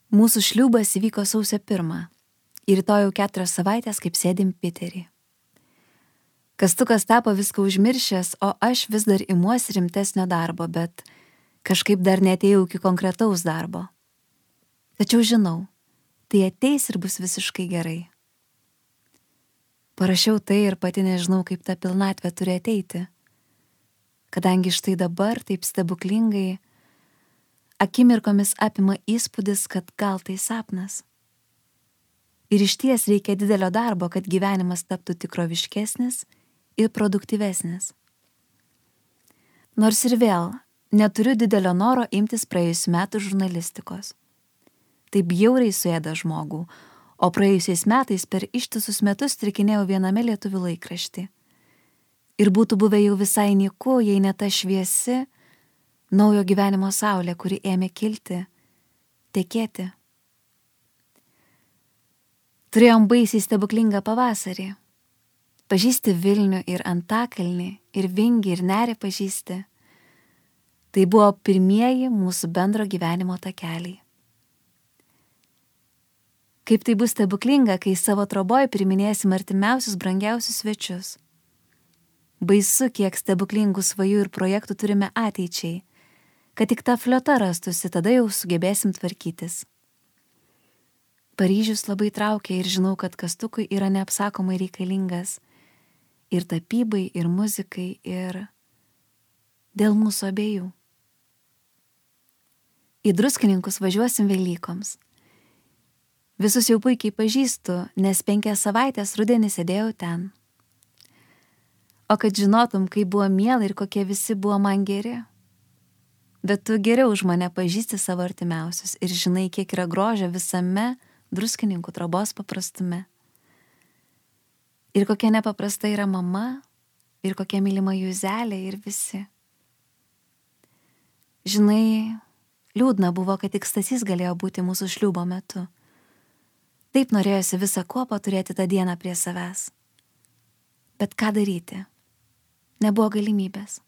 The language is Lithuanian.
Mūsų šliūbas įvyko sausio 1 ir rytoj jau 4 savaitės, kaip sėdim Piterį. Kastukas tapo viską užmiršęs, o aš vis dar imuosi rimtesnio darbo, bet kažkaip dar neatėjau iki konkretaus darbo. Tačiau žinau, tai ateis ir bus visiškai gerai. Parašiau tai ir pati nežinau, kaip ta pilnatvė turi ateiti, kadangi štai dabar taip stebuklingai akimirkomis apima įspūdis, kad gal tai sapnas. Ir išties reikia didelio darbo, kad gyvenimas taptų tikroviškesnis ir produktyvesnis. Nors ir vėl neturiu didelio noro imtis praėjusių metų žurnalistikos. Tai bjauriai suėda žmogų, o praėjusiais metais per ištisus metus trikinėjau viename lietuvių laikraštį. Ir būtų buvę jau visai nieko, jei ne ta šviesi, naujo gyvenimo saulė, kuri ėmė kilti, tekėti. Turėjom baisiai stebuklingą pavasarį. Pažįsti Vilnių ir Antakalnį, ir Vingį, ir Nerį pažįsti. Tai buvo pirmieji mūsų bendro gyvenimo takeliai. Kaip tai bus stebuklinga, kai savo troboj priminėsim artimiausius brangiausius svečius. Baisu, kiek stebuklingų svajų ir projektų turime ateičiai, kad tik ta fliota rastųsi, tada jau sugebėsim tvarkytis. Paryžius labai traukia ir žinau, kad Kastukui yra neapsakomai reikalingas ir tapybai, ir muzikai, ir dėl mūsų abiejų. Į Druskininkus važiuosim Velykoms. Visus jau puikiai pažįstu, nes 5 savaitės rudenį sėdėjau ten. O kad žinotum, kaip buvo miela ir kokie visi buvo man geri. Bet tu geriau už mane pažįsti savo artimiausius ir žinai, kiek yra grožio visame Druskininkų trobos paprastume. Ir kokia nepaprasta yra mama, ir kokia mylima Juzelė ir visi. Žinai, liūdna buvo, kad tik Stasys galėjo būti mūsų šliūbo metu. Taip norėjosi visą kuopą turėti tą dieną prie savęs. Bet ką daryti? Nebuvo galimybės.